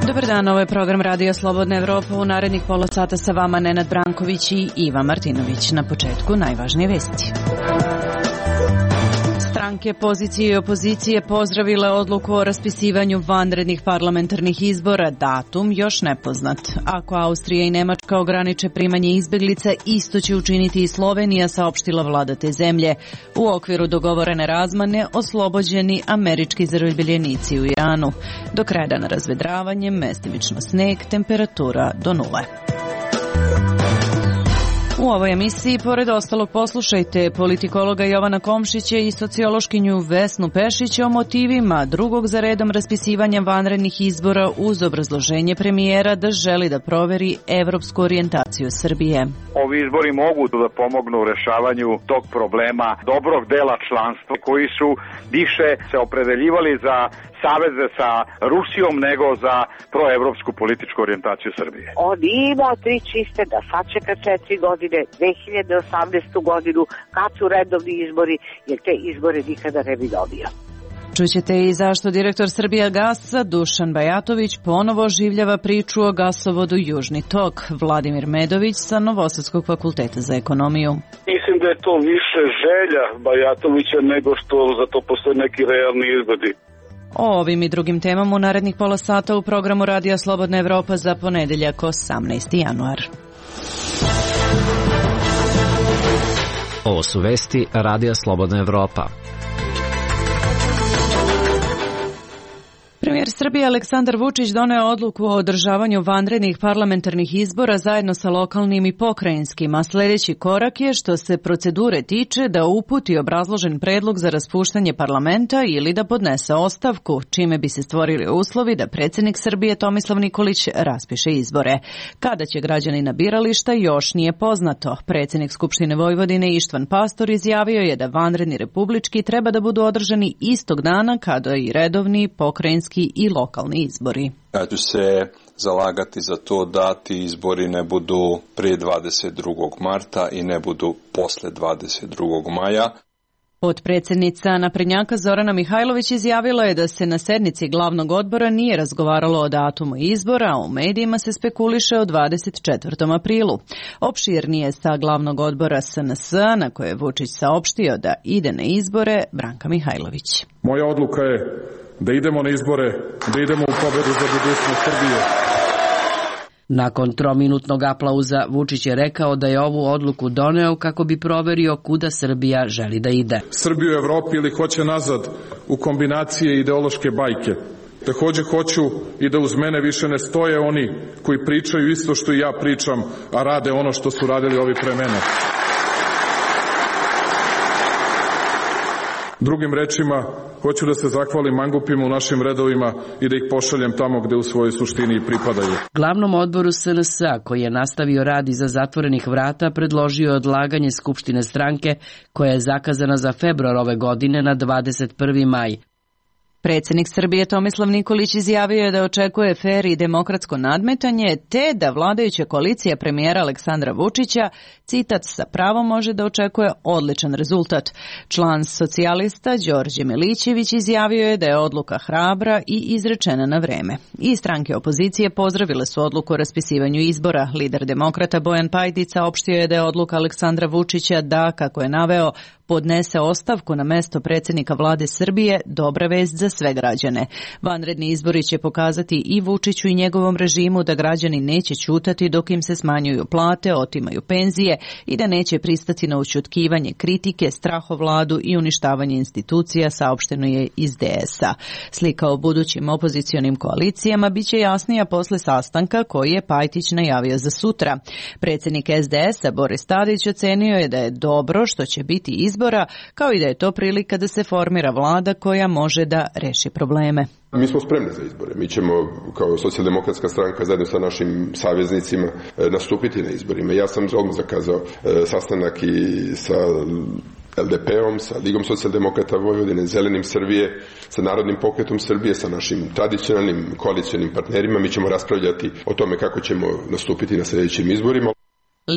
Dobar dan, ovo je program Radio Slobodna Evropa. U narednih pola sata sa vama Nenad Branković i Iva Martinović. Na početku najvažnije vesti. Stranke pozicije i opozicije pozdravile odluku o raspisivanju vanrednih parlamentarnih izbora, datum još nepoznat. Ako Austrija i Nemačka ograniče primanje izbeglica, isto će učiniti i Slovenija, saopštila vlada te zemlje. U okviru dogovorene razmane oslobođeni američki zarobljenici u Iranu. Do kraja dana razvedravanje, mestimično sneg, temperatura do 0. U ovoj emisiji, pored ostalog, poslušajte politikologa Jovana Komšića i sociološkinju Vesnu Pešić o motivima drugog za redom raspisivanja vanrednih izbora uz obrazloženje premijera da želi da proveri evropsku orijentaciju Srbije. Ovi izbori mogu da pomognu u rešavanju tog problema dobrog dela članstva koji su više se opredeljivali za saveze sa Rusijom nego za proevropsku političku orijentaciju Srbije. On ima tri čiste da sačeka 4 godine, 2018. godinu, kad su redovni izbori, jer te izbore nikada ne bi dobio. Čućete i zašto direktor Srbijagasa Dušan Bajatović ponovo oživljava priču o gasovodu Južni tok. Vladimir Medović sa Novosadskog fakulteta za ekonomiju. Mislim da je to više želja Bajatovića nego što za to postoje neki realni izgledi. O ovim i drugim temama u narednih pola sata u programu Radija Slobodna Evropa za ponedeljak 18. januar. Ovo su vesti Radija Slobodna Evropa. Premijer Srbije Aleksandar Vučić doneo odluku o održavanju vanrednih parlamentarnih izbora zajedno sa lokalnim i pokrajinskim, a sljedeći korak je, što se procedure tiče, da uputi obrazložen predlog za raspuštanje parlamenta ili da podnese ostavku, čime bi se stvorili uslovi da predsjednik Srbije Tomislav Nikolić raspiše izbore. Kada će građani na birališta još nije poznato. Predsjednik Skupštine Vojvodine Ištvan Pastor izjavio je da vanredni republički treba da budu održani istog dana kada i redovni pokrajinski i lokalni izbori. Ja ću se zalagati za to da ti izbori ne budu prije 22. marta i ne budu posle 22. maja. Potpredsjednica naprednjaka Zorana Mihajlović izjavila je da se na sednici glavnog odbora nije razgovaralo o datumu izbora, a u medijima se spekuliše o 24. aprilu. Opširnije sa glavnog odbora SNS, na koje je Vučić saopštio da ide na izbore, Branka Mihajlović. Moja odluka je da idemo na izbore, da idemo u pobedu za budućnost Srbije. Nakon trominutnog aplauza Vučić je rekao da je ovu odluku doneo kako bi proverio kuda Srbija želi da ide. Srbiju u Evropi ili hoće nazad u kombinacije ideološke bajke. Također hoću i da uz mene više ne stoje oni koji pričaju isto što i ja pričam, a rade ono što su radili ovi pre mene. Drugim rečima, hoću da se zahvalim mangupima u našim redovima i da ih pošaljem tamo gde u svojoj suštini i pripadaju. Glavnom odboru SNS-a, koji je nastavio rad iza zatvorenih vrata, predložio odlaganje Skupštine stranke koja je zakazana za februar ove godine na 21. maj. Predsjednik Srbije Tomislav Nikolić izjavio je da očekuje fer i demokratsko nadmetanje, te da vladajuća koalicija premijera Aleksandra Vučića, citat, sa pravom može da očekuje odličan rezultat. Član socijalista Đorđe Milićević izjavio je da je odluka hrabra i izrečena na vreme. I stranke opozicije pozdravile su odluku o raspisivanju izbora. Lider demokrata Bojan Pajtić saopštio je da je odluka Aleksandra Vučića da, kako je naveo, podnese ostavku na mesto predsjednika vlade Srbije dobra vest za sve građane. Vanredni izbori će pokazati i Vučiću i njegovom režimu da građani neće ćutati dok im se smanjuju plate, otimaju penzije i da neće pristati na ućutkivanje kritike, strahovladu i uništavanje institucija, saopšteno je iz DS-a. Slika o budućim opozicionim koalicijama biće jasnija posle sastanka koji je Pajtić najavio za sutra. Predsjednik SDS-a Boris Tadić ocenio je da je dobro što će biti izbora, kao i da je to prilika da se formira vlada koja može da reši probleme. Mi smo spremni za izbore. Mi ćemo kao socijaldemokratska stranka zajedno sa našim saveznicima nastupiti na izborima. Ja sam odmah zakazao sastanak i sa LDP-om, sa Ligom socijaldemokrata Vojvodine, Zelenim Srbije, sa Narodnim pokretom Srbije, sa našim tradicionalnim koalicionim partnerima. Mi ćemo raspravljati o tome kako ćemo nastupiti na sljedećim izborima.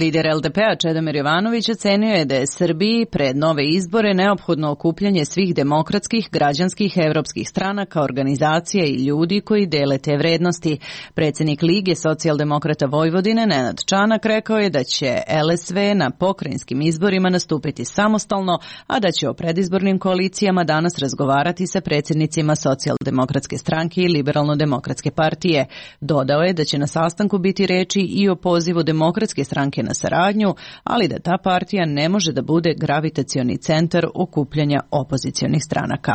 Lider LDP-a Čedomir Jovanović ocenio je da je Srbiji pred nove izbore neophodno okupljanje svih demokratskih, građanskih, evropskih stranaka, organizacija i ljudi koji dele te vrednosti. Predsjednik Lige socijaldemokrata Vojvodine Nenad Čanak rekao je da će LSV na pokrajinskim izborima nastupiti samostalno, a da će o predizbornim koalicijama danas razgovarati sa predsjednicima Socijaldemokratske stranke i Liberalno-demokratske partije. Dodao je da će na sastanku biti reči i o pozivu Demokratske stranke na saradnju, ali da ta partija ne može da bude gravitacioni centar okupljanja opozicionih stranaka.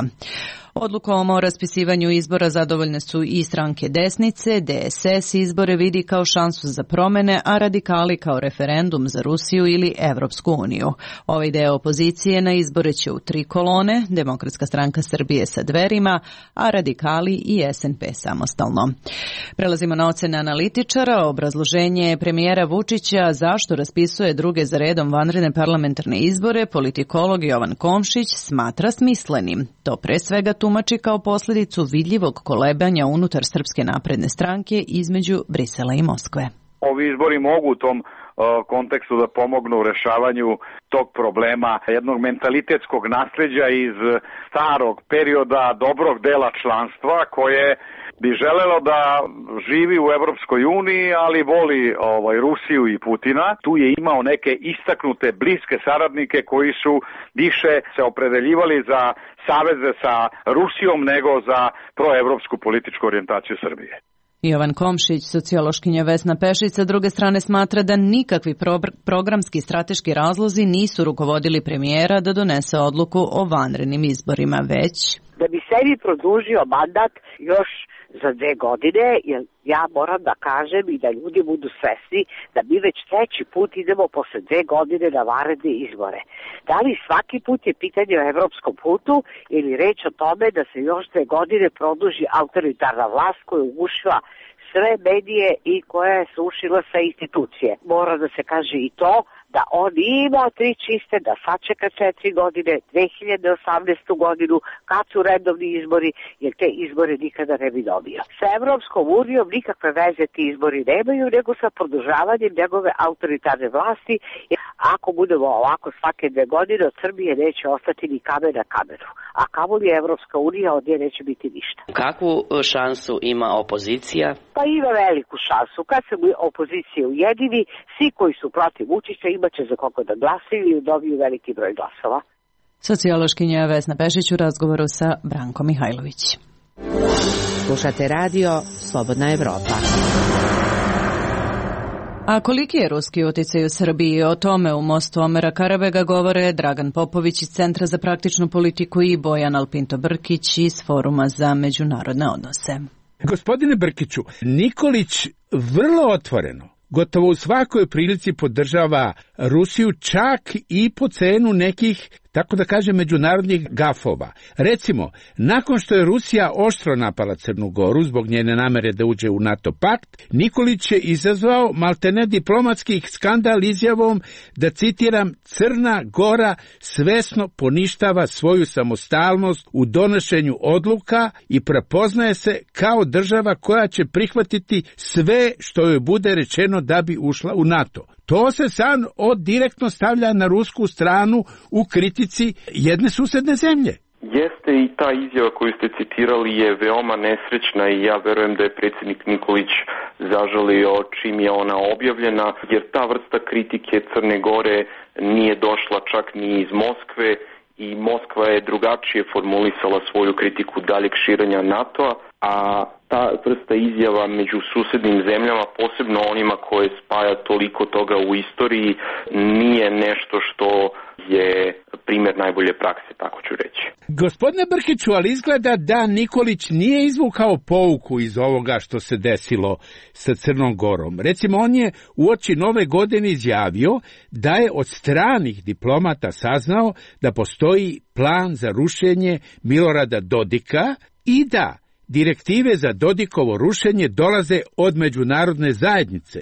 Odlukom o raspisivanju izbora zadovoljne su i stranke desnice, DSS izbore vidi kao šansu za promene, a radikali kao referendum za Rusiju ili Evropsku uniju. Ovaj deo opozicije na izbore će u 3 kolone, Demokratska stranka Srbije sa Dverima, a radikali i SNP samostalno. Prelazimo na ocene analitičara. Obrazloženje premijera Vučića zašto raspisuje druge za redom vanredne parlamentarne izbore politikolog Jovan Komšić smatra smislenim. To pre svega tumači kao posljedicu vidljivog kolebanja unutar Srpske napredne stranke između Brisela i Moskve. Ovi izbori mogu u tom kontekstu da pomognu u rešavanju tog problema jednog mentalitetskog nasljeđa iz starog perioda dobrog dela članstva koje bi želelo da živi u Evropskoj uniji, ali voli Rusiju i Putina. Tu je imao neke istaknute bliske saradnike koji su više se opredeljivali za saveze sa Rusijom nego za proevropsku političku orijentaciju Srbije. Jovan Komšić, sociološkinja Vesna Pešić, sa druge strane smatra da nikakvi programski strateški razlozi nisu rukovodili premijera da donese odluku o vanrednim izborima, već da bi sebi produžio mandat još za 2 godine, jer ja moram da kažem i da ljudi budu svesni da mi već 3. put idemo posle 2 godine na vanredne izbore. Da li svaki put je pitanje o evropskom putu ili reč o tome da se još 2 godine produži autoritarna vlast koja je ugušila sve medije i koja je srušila sve institucije. Mora da se kaže i to da on ima 3 čiste, da sačeka 4 godine, 2018. godinu, kad su redovni izbori, jer te izbore nikada ne bi dobio. Sa Evropskom unijom nikakve veze ti izbori nemaju, nego sa produžavanjem njegove autoritarne vlasti. Ako budemo ovako svake 2 godine, od Srbije neće ostati ni kamen na kamenu. A kamoli Evropska unija, od nje neće biti ništa. Kakvu šansu ima opozicija? Pa ima veliku šansu. Kad se opozicija ujedini, svi koji su protiv Vučića imaće za koga da glasaju i dobiju veliki broj glasova. Sociološkinja Vesna Pešić u razgovoru sa Brankom Mihajlović. Slušate radio Slobodna Evropa. A koliki je ruski uticaj u Srbiji? O tome u mostu Omera Karabega govore Dragan Popović iz Centra za praktičnu politiku i Bojan Alpinto Brkić iz Foruma za međunarodne odnose. Gospodine Brkiću, Nikolić vrlo otvoreno, gotovo u svakoj prilici podržava Rusiju, čak i po cenu nekih, tako da kažem, međunarodnih gafova. Recimo, nakon što je Rusija oštro napala Crnu Goru zbog njene namere da uđe u NATO pakt, Nikolić je izazvao maltene diplomatski skandal izjavom da, citiram, Crna Gora svesno poništava svoju samostalnost u donošenju odluka i prepoznaje se kao država koja će prihvatiti sve što joj bude rečeno da bi ušla u NATO. To se sad direktno stavlja na rusku stranu u kritici jedne susedne zemlje. Jeste, i ta izjava koju ste citirali je veoma nesrećna i ja verujem da je predsjednik Nikolić zažalio čim je ona objavljena, jer ta vrsta kritike Crne Gore nije došla čak ni iz Moskve i Moskva je drugačije formulisala svoju kritiku daljeg širenja NATO-a, a ta vrsta izjava među susednim zemljama, posebno onima koje spaja toliko toga u istoriji, nije nešto što je primjer najbolje prakse, tako ću reći. Gospodine Brkiću, ali izgleda da Nikolić nije izvukao pouku iz ovoga što se desilo sa Crnom Gorom. Recimo, on je uoči Nove godine izjavio da je od stranih diplomata saznao da postoji plan za rušenje Milorada Dodika i da direktive za Dodikovo rušenje dolaze od međunarodne zajednice,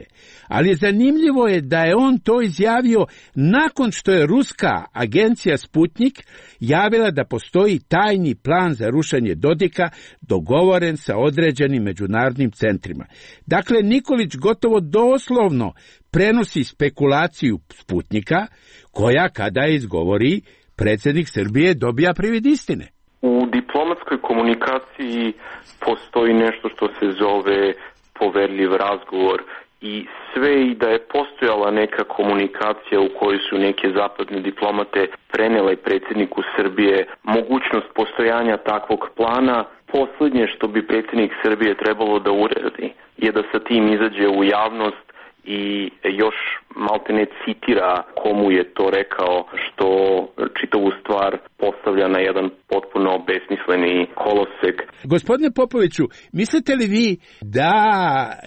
ali zanimljivo je da je on to izjavio nakon što je ruska agencija Sputnik javila da postoji tajni plan za rušenje Dodika dogovoren sa određenim međunarodnim centrima. Dakle, Nikolić gotovo doslovno prenosi spekulaciju Sputnika, koja kada je izgovori, predsjednik Srbije dobija privid istine. U diplomatskoj komunikaciji postoji nešto što se zove poverljiv razgovor i sve i da je postojala neka komunikacija u kojoj su neke zapadne diplomate prenele predsjedniku Srbije mogućnost postojanja takvog plana, posljednje što bi predsjednik Srbije trebalo da uradi je da sa tim izađe u javnost i još maltene citira komu je to rekao, što čitavu stvar postavlja na jedan potpuno besmisleni kolosek. Gospodine Popoviću, mislite li vi da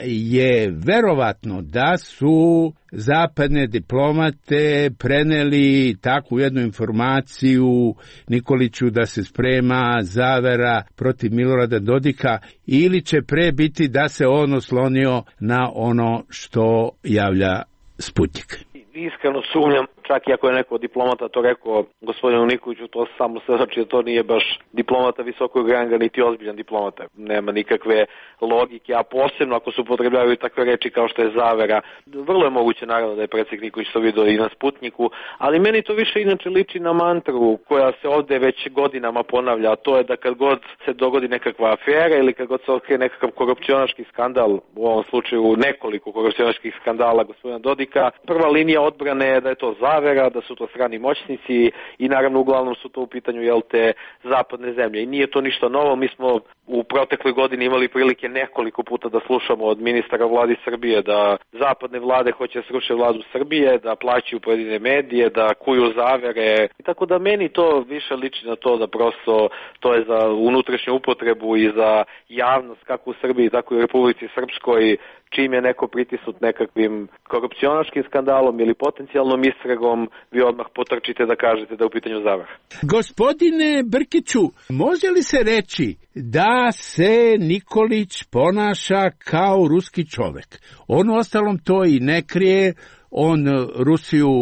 je verovatno da su zapadne diplomate preneli takvu jednu informaciju Nikoliću da se sprema zavera protiv Milorada Dodika, ili će pre biti da se on oslonio na ono što javlja Sputnik? Iskreno sumnjam, čak i ako je neko diplomata to rekao gospodinu Nikoliću, to samo se znači da to nije baš diplomata visokog ranga, niti ozbiljan diplomata. Nema nikakve logike, a posebno ako se upotrebljavaju takve reči kao što je zavera. Vrlo je moguće naravno da je predsjednik Nikolić to vidio i na Sputniku, ali meni to više inače liči na mantru koja se ovde već godinama ponavlja, a to je da kad god se dogodi nekakva afera ili kad god se otkrije nekakav korupcionaški skandal, u ovom slučaju nekoliko korupcionaških skandala gospodina Dodika, prva linija odbrane je da je to zavera, da su to strani moćnici i naravno uglavnom su to u pitanju te zapadne zemlje. I nije to ništa novo, mi smo u protekloj godini imali prilike nekoliko puta da slušamo od ministara vladi Srbije da zapadne vlade hoće sruše vladu Srbije, da plaćaju pojedine medije, da kuju zavere. I tako da meni to više liči na to da prosto to je za unutrašnju upotrebu i za javnost kako u Srbiji, tako i u Republici Srpskoj, čim je neko pritisnut nekakvim korupcionaškim skandalom ili potencijalnom istragom, vi odmah potrčite da kažete da je u pitanju zavara. Gospodine Brkiću, može li se reći da se Nikolić ponaša kao ruski čovek? On ostalom to i ne krije, on Rusiju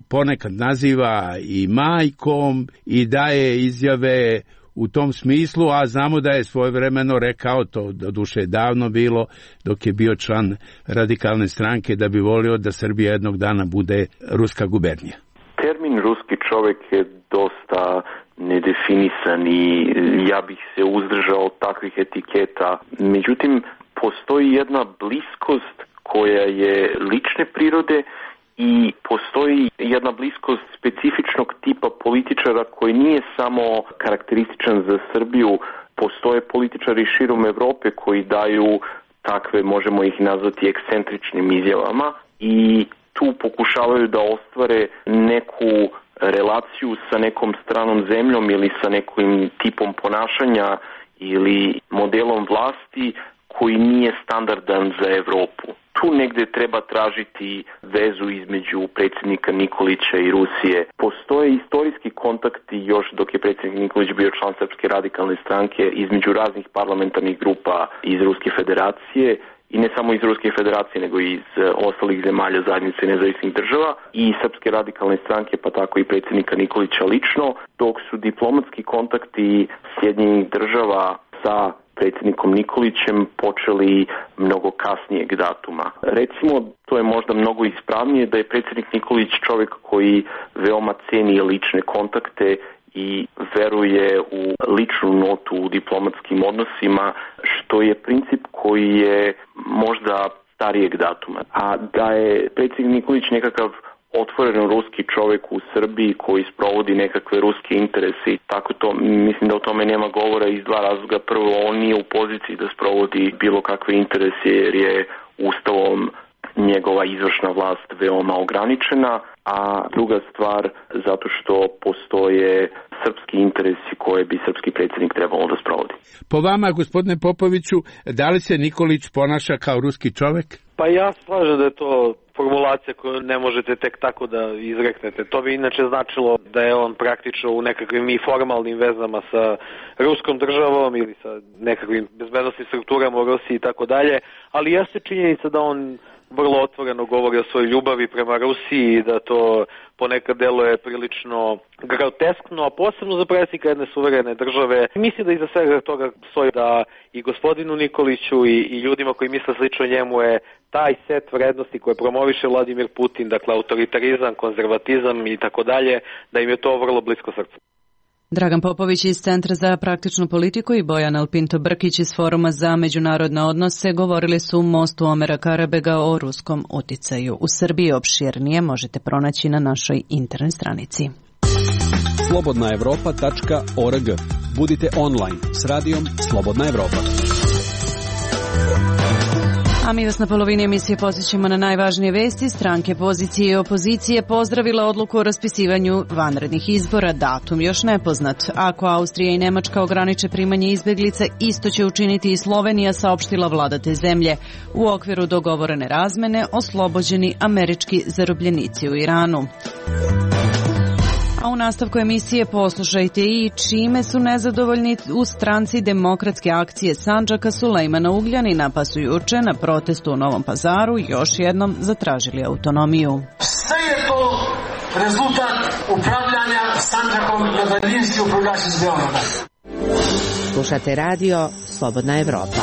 ponekad naziva i majkom i daje izjave u tom smislu, a znamo da je svojevremeno rekao, to doduše davno bilo, dok je bio član radikalne stranke, da bi volio da Srbija jednog dana bude ruska gubernija. Termin ruski čovek je dosta nedefinisan i ja bih se uzdržao takvih etiketa. Međutim, postoji jedna bliskost koja je lične prirode i postoji jedna bliskost specifičnog tipa političara koji nije samo karakterističan za Srbiju. Postoje političari širom Evrope koji daju takve, možemo ih nazvati, ekscentričnim izjavama i tu pokušavaju da ostvare neku relaciju sa nekom stranom zemljom ili sa nekim tipom ponašanja ili modelom vlasti koji nije standardan za Evropu. Tu negde treba tražiti vezu između predsjednika Nikolića i Rusije. Postoje istorijski kontakti još dok je predsjednik Nikolić bio član Srpske radikalne stranke između raznih parlamentarnih grupa iz Ruske federacije i ne samo iz Ruske federacije nego i iz ostalih zemalja zajednice nezavisnih država i Srpske radikalne stranke pa tako i predsjednika Nikolića lično, dok su diplomatski kontakti Sjedinjenih država sa predsjednikom Nikolićem počeli mnogo kasnijeg datuma. Recimo, to je možda mnogo ispravnije da je predsjednik Nikolić čovjek koji veoma ceni lične kontakte i veruje u ličnu notu u diplomatskim odnosima, što je princip koji je možda starijeg datuma. A da je predsjednik Nikolić nekakav otvoren ruski čovjek u Srbiji koji sprovodi nekakve ruske interese i tako to, mislim da o tome nema govora iz dva razloga. Prvo, on nije u poziciji da sprovodi bilo kakve interese jer je ustavom njegova izvršna vlast veoma ograničena, a druga stvar zato što postoje srpski interesi koje bi srpski predsjednik trebalo da sprovodi. Po vama, gospodine Popoviću, da li se Nikolić ponaša kao ruski čovek? Pa ja slažem da je to formulacija koju ne možete tek tako da izreknete. To bi inače značilo da je on praktično u nekakvim i formalnim vezama sa ruskom državom ili sa nekakvim bezbednostnim strukturama u Rusiji i tako dalje, ali jeste činjenica da on vrlo otvoreno govori o svojoj ljubavi prema Rusiji i da to ponekad deluje prilično groteskno, a posebno za predsjednika jedne suverene države. Mislim da iza svega toga stoji da i gospodinu Nikoliću i ljudima koji misle slično njemu je taj set vrednosti koje promoviše Vladimir Putin, dakle autoritarizam, konzervatizam i tako dalje, da im je to vrlo blisko srcu. Dragan Popović iz Centra za praktičnu politiku i Bojan Alpinto Brkić iz Foruma za međunarodne odnose govorili su u mostu Omera Karabega o ruskom uticaju. U Srbiji opširnije možete pronaći na našoj internet stranici. slobodnaevropa.org. Budite online s radijom Slobodna Evropa. A mi vas na polovini emisije podsjećamo na najvažnije vesti. Stranke pozicije i opozicije pozdravile odluku o raspisivanju vanrednih izbora, datum još nepoznat. Ako Austrija i Nemačka ograniče primanje izbeglica, isto će učiniti i Slovenija, saopštila vlada te zemlje. U okviru dogovorene razmene oslobođeni američki zarobljenici u Iranu. A u nastavku emisije poslušajte i čime su nezadovoljni u stranci Demokratske akcije Sandžaka Sulejmana Ugljanina, pa su juče na protestu u Novom Pazaru još jednom zatražili autonomiju. Sve je to rezultat upravljanja Sandžakom na daljinski upravljač iz Beograda. Slušate radio Slobodna Evropa.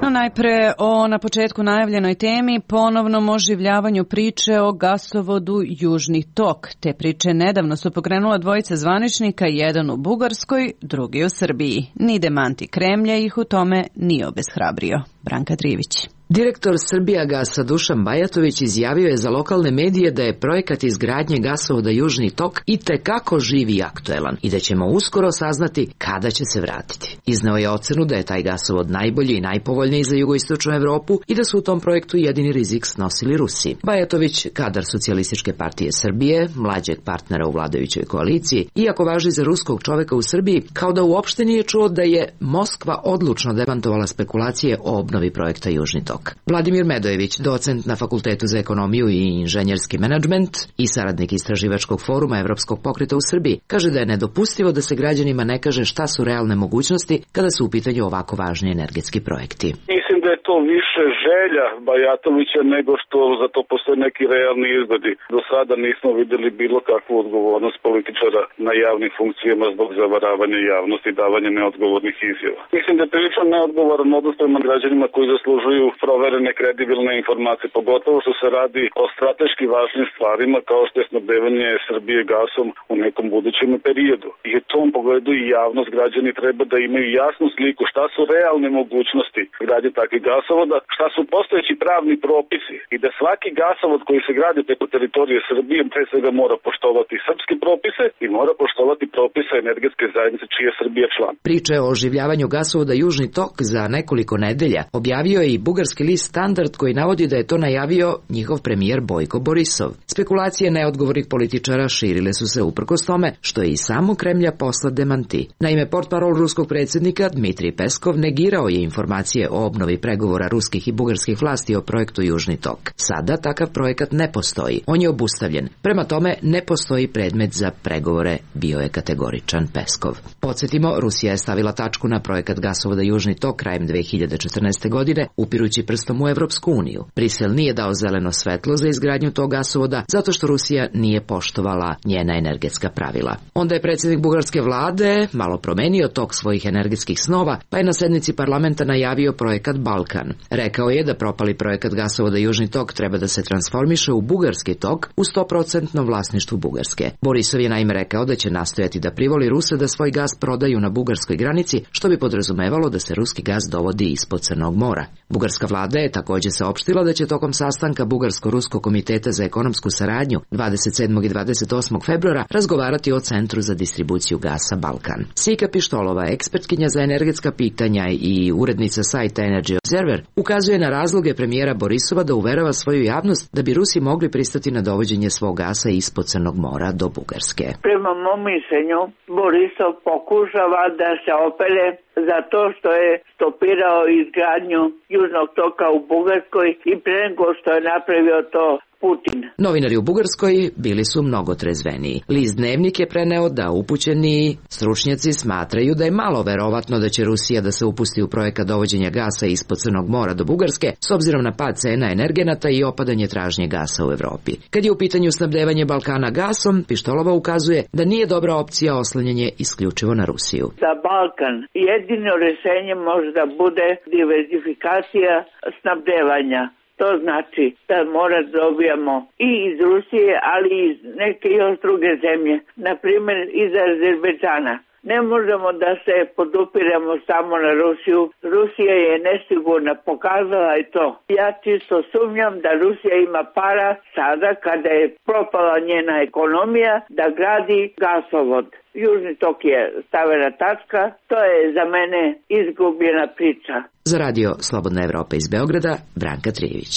No, najpre o na početku najavljenoj temi, ponovnom oživljavanju priče o gasovodu Južni tok. Te priče nedavno su pokrenula dvojica zvaničnika, jedan u Bugarskoj, drugi u Srbiji. Ni demanti Kremlja ih u tome nije obeshrabrio. Branka Trivić. Direktor Srbijagasa Dušan Bajatović izjavio je za lokalne medije da je projekat izgradnje gasovoda Južni tok itekako živ i aktuelan i da ćemo uskoro saznati kada će se vratiti. Izneo je ocenu da je taj gasovod najbolji i najpovoljniji za jugoistočnu Evropu i da su u tom projektu jedini rizik snosili Rusi. Bajatović, kadar Socijalističke partije Srbije, mlađeg partnera u vladajućoj koaliciji, iako važi za ruskog čoveka u Srbiji, kao da uopšte nije čuo da je Moskva odlučno demantovala spekulacije o obnovi projekta Južni tok. Vladimir Medojević, docent na Fakultetu za ekonomiju i inženjerski menadžment i saradnik istraživačkog foruma Evropskog pokreta u Srbiji, kaže da je nedopustivo da se građanima ne kaže šta su realne mogućnosti kada su u pitanju ovako važni energetski projekti. Mislim da je to više želja Bajatovića nego što za to postoje neki realni izgledi. Do sada nismo videli bilo kakvu odgovornost političara na javnim funkcijama zbog zavaravanja javnosti i davanja neodgovornih izjava. Mislim da je prilično neodgovoran odnos prema građanima koji zaslužuju proverene kredibilne informacije, pogotovo što se radi o strateški važnim stvarima kao što je snabdevanje Srbije gasom u nekom budućem periodu. I u tom pogledu i javnost, građani treba da imaju jasnu sliku šta su realne mogućnosti gradnje takvih gasovoda, šta su postojeći pravni propisi i da svaki gasovod koji se gradi preko teritorije Srbije pre svega mora poštovati srpske propise i mora poštovati propise energetske zajednice čiji je Srbija član. Priče o oživljavanju gasovoda Južni tok za nekoliko nedelja objavio je i bugarski list Standard koji navodi da je to najavio njihov premijer Bojko Borisov. Spekulacije neodgovornih političara širile su se uprkos tome što je i samo Kremlja poslat demanti. Naime, portparol ruskog predsjednika Dmitrij Peskov negirao je informacije o obnovi pregovora ruskih i bugarskih vlasti o projektu Južni tok. Sada takav projekat ne postoji. On je obustavljen. Prema tome, ne postoji predmet za pregovore, bio je kategoričan Peskov. Podsjetimo, Rusija je stavila tačku na projekat gasovoda Južni tok krajem 2014. godine, upirući prstom u Evropsku uniju. Brisel nije dao zeleno svetlo za izgradnju tog gasovoda zato što Rusija nije poštovala njena energetska pravila. Onda je predsjednik bugarske vlade malo promenio tok svojih energetskih snova, pa je na sednici parlamenta najavio projekat Balkan. Rekao je da propali projekat gasovoda Južni tok treba da se transformiše u bugarski tok u 100% vlasništvu Bugarske. Borisov je naime rekao da će nastojati da privoli Ruse da svoj gas prodaju na bugarskoj granici, što bi podrazumevalo da se ruski gas dovodi ispod Crnog mora. Bugarska vlada je također saopštila da će tokom sastanka Bugarsko-Ruskog komiteta za ekonomsku saradnju 27. i 28. februara razgovarati o Centru za distribuciju gasa Balkan. Sika Pištolova, ekspertkinja za energetska pitanja i urednica sajta Energy Observer ukazuje na razloge premijera Borisova da uverava svoju javnost da bi Rusi mogli pristati na dovođenje svog gasa ispod Crnog mora do Bugarske. Prema mom mišljenju, Borisov pokušava da se opere za to što je stopirao izgradnju Južnog toka u Bugarskoj i pre nego što je napravio to Putin. Novinari u Bugarskoj bili su mnogo trezveniji. List Dnevnik je preneo da upućeni stručnjaci smatraju da je malo verovatno da će Rusija da se upusti u projekat dovođenja gasa ispod Crnog mora do Bugarske, s obzirom na pad cena energenata i opadanje tražnje gasa u Evropi. Kad je u pitanju snabdevanje Balkana gasom, Pištolova ukazuje da nije dobra opcija oslanjanje isključivo na Rusiju. Za Balkan jedino rešenje može da bude diverzifikacija snabdevanja. To znači da mora da dobijamo i iz Rusije, ali i iz neke još druge zemlje, na primjer iz Azerbejdžana. Ne možemo da se podupiramo samo na Rusiju. Rusija je nesigurna, pokazala je to. Ja čisto sumnjam da Rusija ima para sada kada je propala njena ekonomija da gradi gasovod. Južni tok je stavena tačka, to je za mene izgubljena priča. Za radio Slobodna Evropa iz Beograda, Branka Trijević.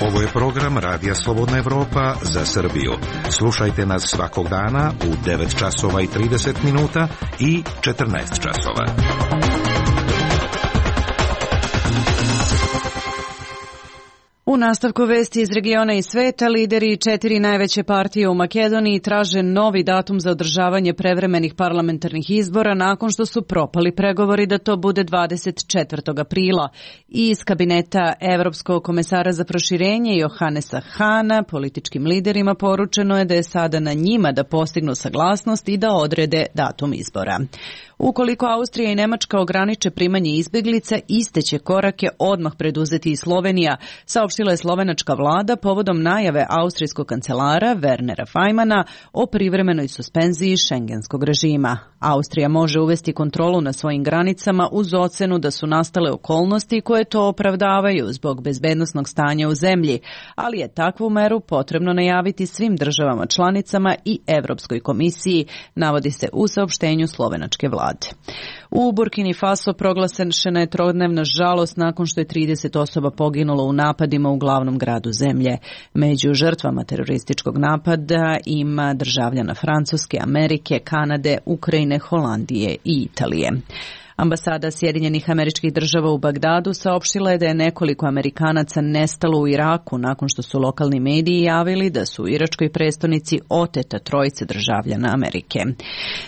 Ovo je program Radija Slobodna Evropa za Srbiju. Slušajte nas svakog dana u 9 časova i 30 minuta i 14 časova. U nastavku vesti iz regiona i sveta, lideri 4 najveće partije u Makedoniji traže novi datum za održavanje prevremenih parlamentarnih izbora nakon što su propali pregovori da to bude 24. aprila. Iz kabineta Evropskog komesara za proširenje Johannesa Hana političkim liderima poručeno je da je sada na njima da postignu saglasnost i da odrede datum izbora. Ukoliko Austrija i Nemačka ograniče primanje izbeglica, iste će korake odmah preduzeti i Slovenija, saopštila je slovenačka vlada povodom najave austrijskog kancelara Wernera Fajmana o privremenoj suspenziji šengenskog režima. Austrija može uvesti kontrolu na svojim granicama uz ocenu da su nastale okolnosti koje to opravdavaju zbog bezbednosnog stanja u zemlji, ali je takvu meru potrebno najaviti svim državama članicama i Evropskoj komisiji, navodi se u saopštenju slovenačke vlade. U Burkini Faso proglašena je trodnevna žalost nakon što je 30 osoba poginulo u napadima u glavnom gradu zemlje. Među žrtvama terorističkog napada ima državljana Francuske, Amerike, Kanade, Ukrajine, Holandije i Italije. Ambasada Sjedinjenih Američkih Država u Bagdadu saopštila je da je nekoliko Amerikanaca nestalo u Iraku nakon što su lokalni mediji javili da su u iračkoj prestonici oteta trojice državljana Amerike.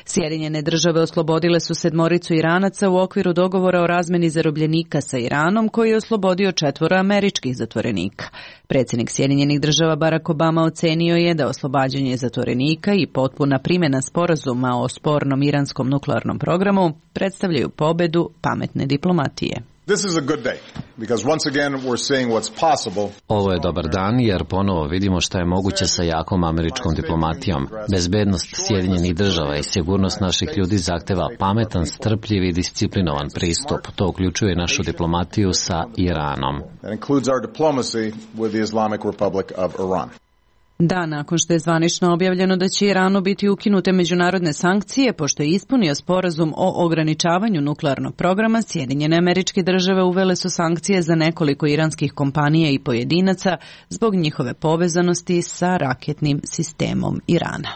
Sjedinjene Države oslobodile su 7 Iranaca u okviru dogovora o razmeni zarobljenika sa Iranom koji je oslobodio 4 američkih zatvorenika. Predsjednik Sjedinjenih Država Barack Obama ocenio je da oslobađanje zatvorenika i potpuna primjena sporazuma o spornom iranskom nuklearnom programu predstavljaju pobedu pametne diplomatije. Ovo je dobar dan jer ponovo vidimo šta je moguće sa jakom američkom diplomatijom. Bezbednost Sjedinjenih Država i sigurnost naših ljudi zahteva pametan, strpljiv i disciplinovan pristup. To uključuje našu diplomatiju sa Iranom. Da, nakon što je zvanično objavljeno da će Iranu biti ukinute međunarodne sankcije, pošto je ispunio sporazum o ograničavanju nuklearnog programa, Sjedinjene Američke Države uvele su sankcije za nekoliko iranskih kompanija i pojedinaca zbog njihove povezanosti sa raketnim sistemom Irana.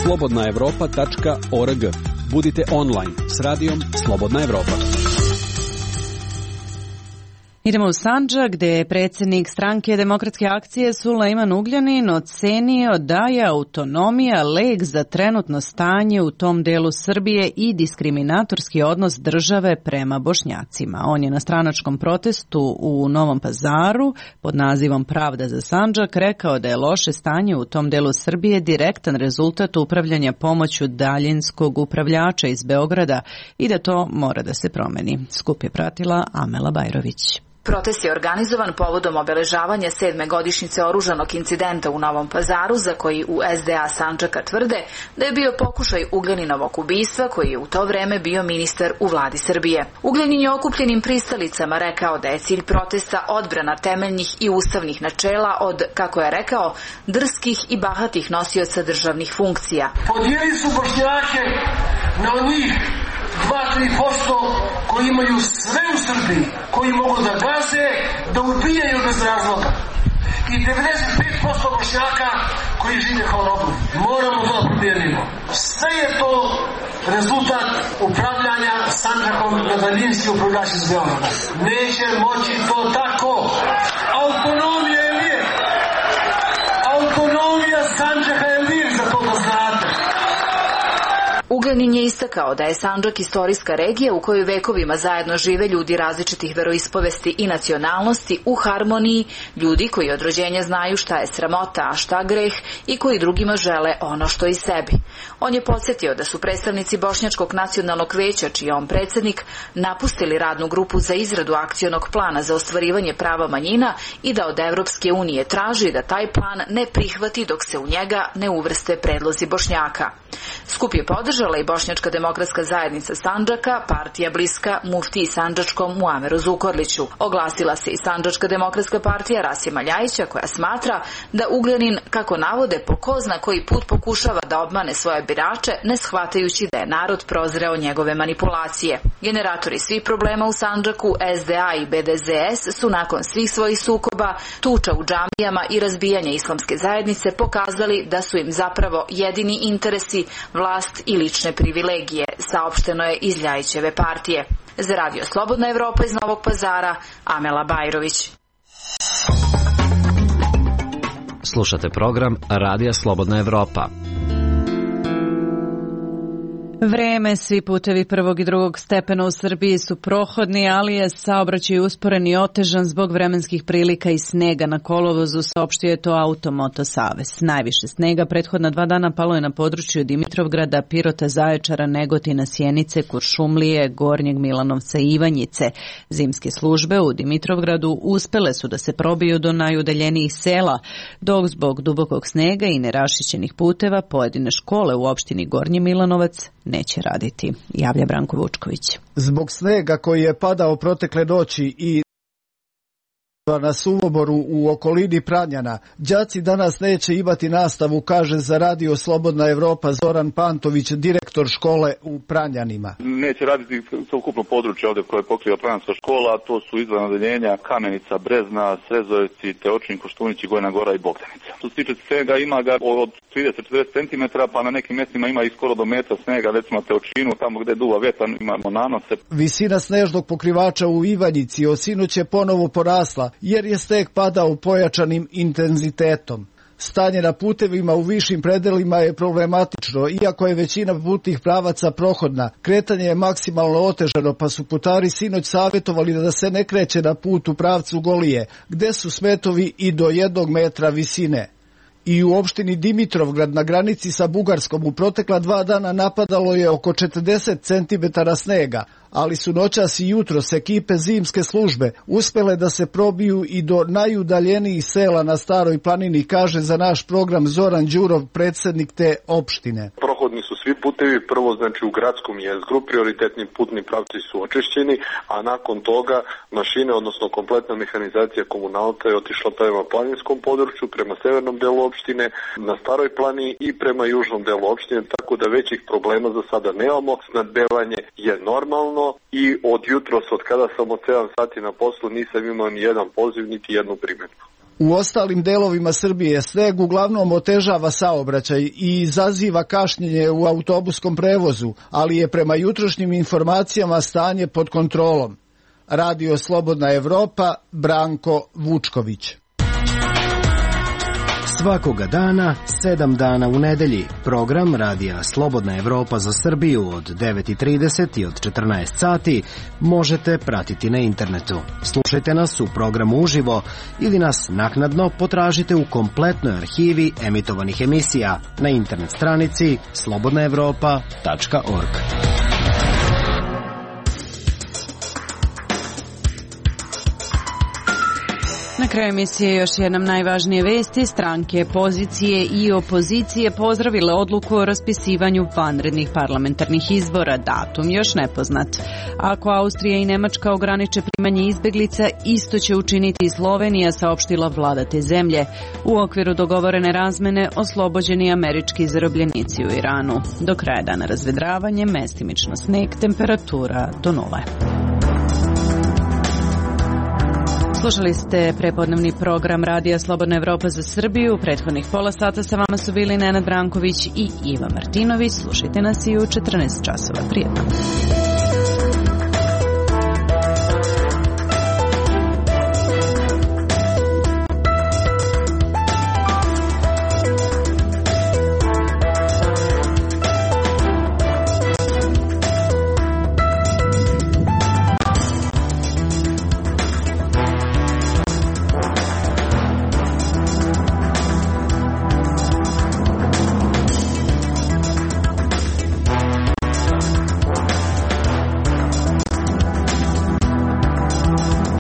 slobodnaevropa.org. Budite online s radijom Slobodna Evropa. Idemo u Sandžak, gde je predsjednik stranke Demokratske akcije Sulejman Ugljanin ocenio da je autonomija lek za trenutno stanje u tom delu Srbije i diskriminatorski odnos države prema Bošnjacima. On je na stranačkom protestu u Novom Pazaru pod nazivom Pravda za Sandžak rekao da je loše stanje u tom delu Srbije direktan rezultat upravljanja pomoću daljinskog upravljača iz Beograda i da to mora da se promeni. Skup je pratila Amela Bajrović. Protest je organizovan povodom obeležavanja 7. godišnjice oružanog incidenta u Novom Pazaru, za koji u SDA Sandžaka tvrde da je bio pokušaj Ugljaninovog ubistva, koji je u to vreme bio ministar u vladi Srbije. Ugljanin je okupljenim pristalicama rekao da je cilj protesta odbrana temeljnih i ustavnih načela od, kako je rekao, drskih i bahatih nosioca državnih funkcija. Podijeli su Bošnjake na onih 2-3% koji imaju sve u Srbiji, koji mogu da gaze, da ubijaju bez razloga. I 95% Bošnjaka koji žive kao robovi. Moramo to da promijenimo. Sve je to rezultat upravljanja Sandžakom na daljinski upravljač iz Beograda. Neće moći to tako. Autonomija je lijek. Autonomija Sandžaka je lijek, za to da znate. Ugljanin je istakao da je Sandžak istorijska regija u kojoj vekovima zajedno žive ljudi različitih veroispovesti i nacionalnosti u harmoniji, ljudi koji od rođenja znaju šta je sramota, a šta greh i koji drugima žele ono što i sebi. On je podsjetio da su predstavnici Bošnjačkog nacionalnog veća, čiji je on predsjednik, napustili radnu grupu za izradu akcionog plana za ostvarivanje prava manjina i da od Evropske unije traži da taj plan ne prihvati dok se u njega ne uvrste predlozi Bošnjaka. Skup je podržala i Bošnjačka demokratska zajednica Sandžaka, partija bliska muftiji sandžačkom Muameru Zukorliću. Oglasila se i Sandžačka demokratska partija Rasima Ljajića, koja smatra da Ugljanin, kako navode, po ko zna koji put pokušava da obmane svoje birače, ne shvatajući da je narod prozreo njegove manipulacije. Generatori svih problema u Sandžaku, SDA i BDZS, su nakon svih svojih sukoba, tuča u džamijama i razbijanja islamske zajednice pokazali da su im zapravo jedini interesi vlast i lične privilegije, saopšteno je iz Ljajićeve partije. Za Radio Slobodna Evropa iz Novog Pazara, Amela Bajrović. Slušate program Radija Slobodna Evropa. Vreme, svi putevi prvog i drugog stepena u Srbiji su prohodni, ali je saobraćaj usporen i otežan zbog vremenskih prilika i snega na kolovozu, saopštio je to Automoto Savez. Najviše snega prethodna 2 dana palo je na području Dimitrovgrada, Pirota, Zaječara, Negotina, Sjenice, Kuršumlije, Gornjeg Milanovca i Ivanjice. Zimske službe u Dimitrovgradu uspele su da se probiju do najudaljenijih sela, dok zbog dubokog snega i nerašićenih puteva pojedine škole u opštini Gornji Milanovac neće raditi, javlja Branko Vučković. Zbog snega koji je padao protekle noći i na Suvoboru u okolini Pranjana, đaci danas neće imati nastavu, kaže za Radio Slobodna Evropa Zoran Pantović, direktor škole u Pranjanima. Neće raditi celokupno područje ovdje koje pokriva Pranjanska škola, a to su izvan odeljenja Kamenica, Brezna, Srezoveci, Teočin, Koštunići, Gojna Gora i Bogdanica. Što se tiče snega, ima ga od 30-40 cm, pa na nekim mjestima ima i skoro do metra snega, recimo Teočinu, tamo gde duva vetar imamo nanose. Visina snežnog pokrivača u Ivanjici od sinoć je ponovo porasla, jer je sneg padao pojačanim intenzitetom. Stanje na putevima u višim predelima je problematično, iako je većina putnih pravaca prohodna. Kretanje je maksimalno otežano, pa su putari sinoć savjetovali da se ne kreće na put u pravcu Golije, gde su smetovi i do 1 metra visine. I u opštini Dimitrovgrad na granici sa Bugarskom u protekla 2 dana napadalo je oko 40 cm snega, ali su noćas i jutros ekipe zimske službe uspele da se probiju i do najudaljenijih sela na Staroj planini, kaže za naš program Zoran Đurov, predsjednik te opštine. Prohodni su svi putevi, prvo znači u gradskom jezgru, prioritetni putni pravci su očišćeni, a nakon toga mašine, odnosno kompletna mehanizacija komunalca je otišla prema planinskom području, prema severnom delu opštine, na Staroj planini i prema južnom delu opštine, tako da većih problema za sada nemamo. Snadbevanje je normalno i od jutros, od kada sam od 7 sati na poslu, nisam imao ni jedan poziv, niti jednu primjedbu. U ostalim delovima Srbije sneg uglavnom otežava saobraćaj i izaziva kašnjenje u autobuskom prevozu, ali je prema jutrošnjim informacijama stanje pod kontrolom. Radio Slobodna Evropa, Branko Vučković. Svakoga dana, 7 dana u nedelji. Program Radija Slobodna Evropa za Srbiju od 9:30 i od 14 sati možete pratiti na internetu. Slušajte nas u programu uživo ili nas naknadno potražite u kompletnoj arhivi emitovanih emisija na internet stranici slobodnaevropa.org. Na kraju emisije još jednom najvažnije vesti. Stranke pozicije i opozicije pozdravile odluku o raspisivanju vanrednih parlamentarnih izbora. Datum još nepoznat. Ako Austrija i Nemačka ograniče primanje izbeglica, isto će učiniti i Slovenija, saopštila vlada te zemlje. U okviru dogovorene razmene oslobođeni američki zarobljenici u Iranu. Do kraja dana razvedravanje, mestimično sneg, temperatura do 0. Slušali ste prepodnevni program Radija Slobodna Evropa za Srbiju. U prethodnih pola sata sa vama su bili Nenad Branković i Iva Martinović. Slušajte nas i u 14 časova. Prijetno.